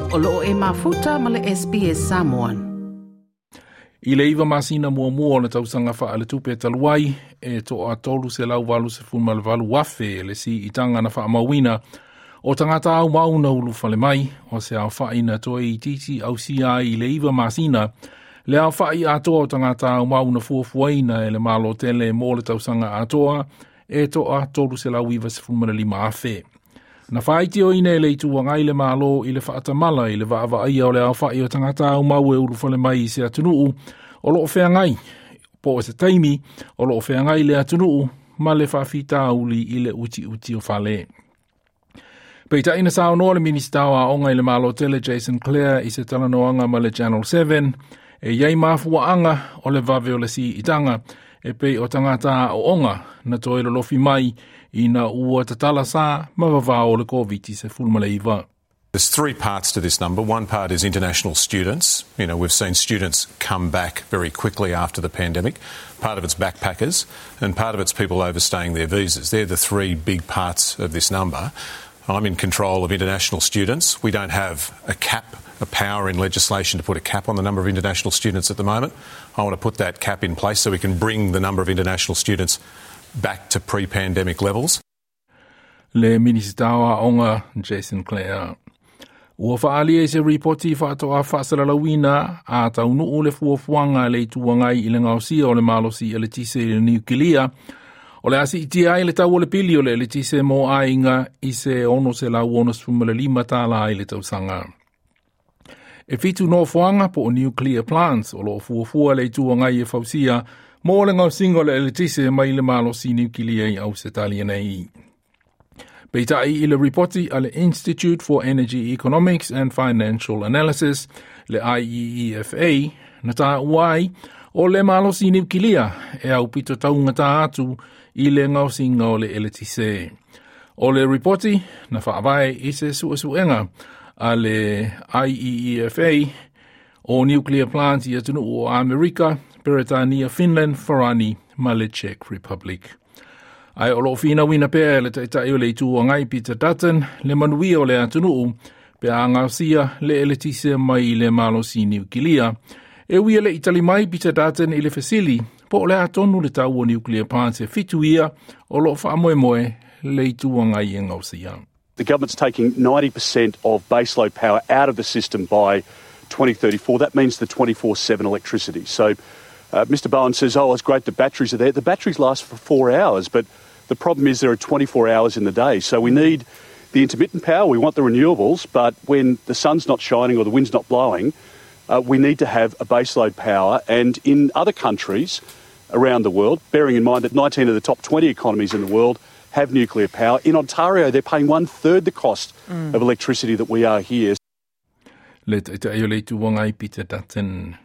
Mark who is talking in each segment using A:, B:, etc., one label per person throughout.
A: O loo e mafuta ma le SBS Samoan.
B: I le 9 masina muamua o le tausaga faaletupe talu ai, e toa 388,000 le siitaga na faamauina o tagata aumau na ulufale mai, o se aofa'i na toe itiiti ausia ai i le 9 masina, le aofa'i atoa o tagata aumau na fuafuaina e le Malo tele mo le tausaga atoa, e toa 395,000. Na faaitioina e le Itu Agai le Malo i le faatamala i le vaavaaia o le aofa'i o tagata aumau e ulufale mai i se atunuu o loo feagai, po o se taimi o loo feagai le atunuu ma le faafitauli i le utiuti o fale. Peitai na saunoa le Minisita o Aoga i le Malo tele Jason Clare i se talanoaga ma le Channel 7, e iai mafuaaga o le vave o le siitaga e pei o tagata aooga na toe lolofi mai ina ua tatala sa ma vavao o le COVID-19.
C: There's three parts to this number. One part is international students. You know, we've seen students come back very quickly after the pandemic. Part of it's backpackers and part of it's people overstaying their visas. They're the three big parts of this number. I'm in control of international students. We don't have a cap, a power in legislation to put a cap on the number of international students at the moment. I want to put that cap in place so we can bring the number of international students back to pre-pandemic levels.
B: Le Minisita o Aoga Jason Clare. Ua faaalia i se ripoti faatoa faasalalauina a taunuu le fuafuaga a le Itu Agai i le gaosia o le malosi eletise i le niukilia, o le a siitia ai le tau o le pili o le eletise mo aiga i se $665 tālā i le tausaga. E 7 nofoaga po o nuclear plants o loo fuafua le Itu Agai e fausia mo le gaosiga o le eletise mai le malosi niukilia i Ausetalia nei. Peitai i le ripoti a le Institute for Energy Economics and Financial Analysis, le IEEFA, na taua ai o le malosi niukilia e aupito taugata atu i le gaosiga o le eletise. O le ripoti na faavae i se suesuega a le IEEFA o nuclear plants i atunuu o Amerika, Peretania, Finland, Farani ma le Czech Republic. Ae o loo finauina pea e le Taitai o le Itu Agai Peter Dutton le manuia o le atunuu pe a gaosia le eletise mai i le malosi niukilia. E ui e le i tali mai Peter Dutton i le fesili po o le a tonu le tau o nuclear plants e 7 ia o loo faamoemoe le Itu Agai e gaosia.
D: The government's taking 90% of baseload power out of the system by 2034. That means the 24/7 electricity. So Mr Bowen says, oh, it's great the batteries are there. The batteries last for 4 hours, but the problem is there are 24 hours in the day. So we need the intermittent power, we want the renewables, but when the sun's not shining or the wind's not blowing, we need to have a baseload power. And in other countries around the world, bearing in mind that 19 of the top 20 economies in the world have nuclear power. In Ontario, they're paying 1/3 the cost of electricity that we are here.
B: Le Taitai o le Itu Agai Peter Dutton.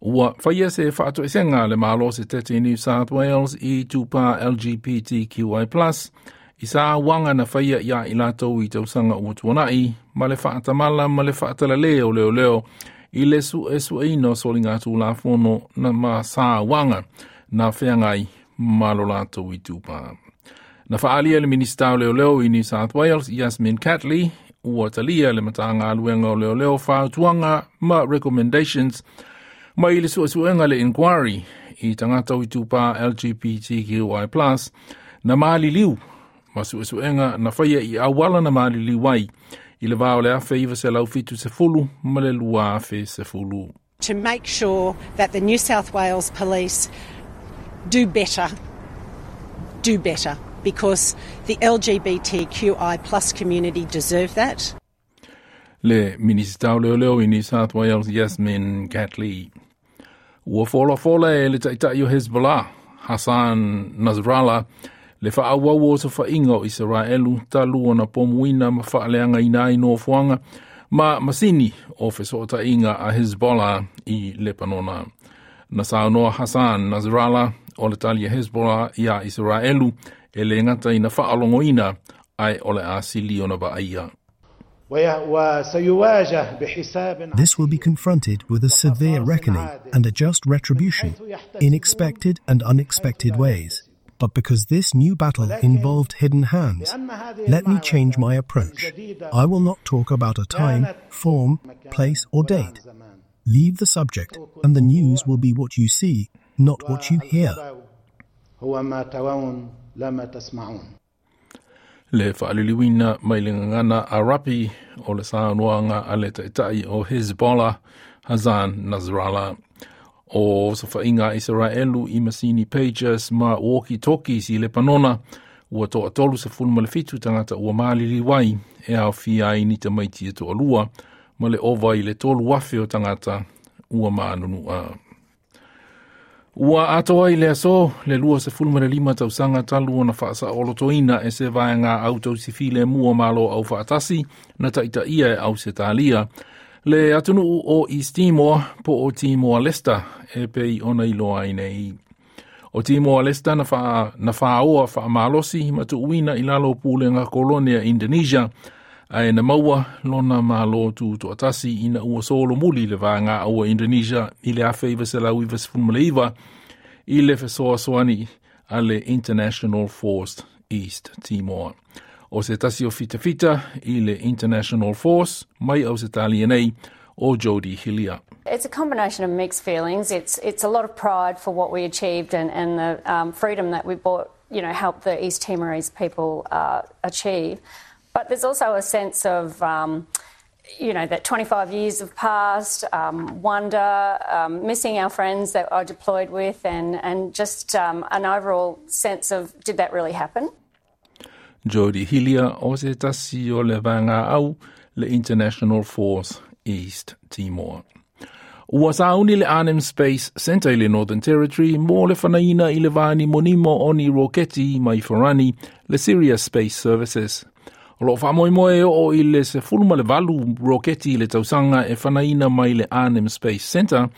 B: Ua faia se faatoesega a le Malo o se tete i New South Wales i tupā LGBTQI+, i sauaga na faia ia i latou i tausaga ua tuanai, ma le faatamala ma le faatalalē o leoleo i le suesueina o soligatulafono na ma sauaga na feagai ma lo latou itupa. Na faaalia e le Minisita o Leoleo i New South Wales, Yasmin Catley, ua talia le Matagaluega o Leoleo fautuaga ma recommendations mai le suesuega le inquiry i tagata o itupa LGBTQI+, na maliliu ma suesuega na faia i auala na maliliu ai i le va o le 1970 ma le 2010.
E: To make sure that the New South Wales Police do better, do better, because the LGBTQI plus community deserve that.
B: Le Minisita o Leoleo i New South Wales Yasmin Catley. Ua folafola e le Taitai o Hezbollah, Hassan Nasrallah, le faaauau o osofaiga o Isaraelu talu ona pomuina ma faaleagaina ai nofoaga ma masini o fesootaiga a Hezbollah i Lepanona. Na saunoa Hassan Nasrallah o le tali a Hezbollah ia Isaraelu e le gata ina faalogoina ae o le a sili ona vaaia.
F: This will be confronted with a severe reckoning and a just retribution in expected and unexpected ways. But because this new battle involved hidden hands, let me change my approach. I will not talk about a time, form, place, or date. Leave the subject, and the news will be what you see, not what you hear.
B: Le faaliliuina mai le gagana Arapi o le saunoaga a le taitai o Hezbollah Hassan Nasrallah. O osofaiga a Isaraelu i masini pagers ma walkie-talkies i Lepanona ua 37 tagata ua maliliu ai e aofia ai ni tamaiti e toalua ma le ova i le 3,000 o tagata ua manunua. Ua atoa i le aso le 25 tausaga talu ona faasaolotoina e se vaega au tausifilemu o Malo Aufaatasi na taitaia e Ausetalia le atunuu o East Timor po o Timor Leste e pei ona iloa ai nei. O Timor Leste na faaoa faamalosi ma tuuina i lalo o pulega kolone a Indonesia ae na maua lona malo tutoatasi ina ua solomuli le vaega au a Indonesia i le 1999 i le fesoasoani a le International Force East Timor. O se tasi o fitafita i le International Force mai Ausetalia nei o Jodie Hillier.
G: It's a combination of mixed feelings. It's a lot of pride for what we achieved and the freedom that we brought, helped the East Timorese people achieve. But there's also a sense of, that 25 years have passed, wonder, missing our friends that I deployed with, and just an overall sense of, did that really happen?
B: Jodie Hillier o se tasi o le vaega au le International Force East Timor. Ua sauni le Arnhem Space Centre i le Northern Territory mo le fanaina i le vanimonimo o ni roketi mai farani le Sirius Space Services. O loo faamoemoe e oo i le 18 roketi i le tausaga e fanaina mai le Arnhem Space Centre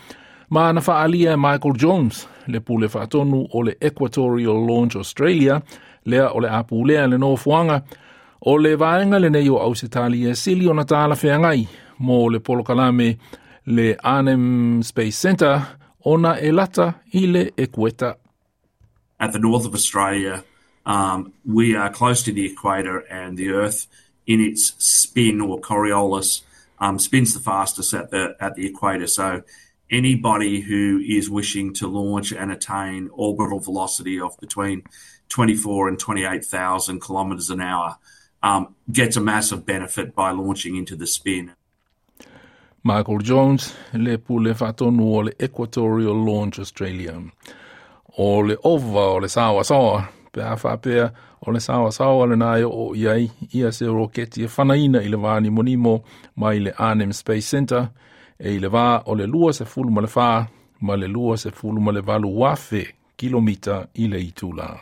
B: ma na faaalia e Michael Jones, le pule faatonu o le Equatorial Launch Australia, lea o le a pulea le nofoaga o le vaega lenei o Ausetalia e sili ona talafeagai mo le polokalame le Arnhem Space Centre ona e lata i le ekueta.
H: At the north of Australia, we are close to the equator, and the Earth, in its spin or Coriolis, spins the fastest at the equator. So anybody who is wishing to launch and attain orbital velocity of between 24 and 28,000 kilometres an hour gets a massive benefit by launching into the spin.
B: Michael Jones, le pule faatonu o le Equatorial Launch Australia. O le ova o le saoasaoa, pe a faapea o le saoasaoa lena e oo i ai ia se roketi e fanaina i le vanimonimo mai le Arnhem Space Centre e i le vā o le 24 ma le 28,000 kilomita i le itula.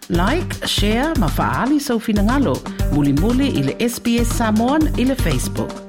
A: Like, share ma faaali sou finagalo. Mulimuli i le SBS Samoan i le Facebook.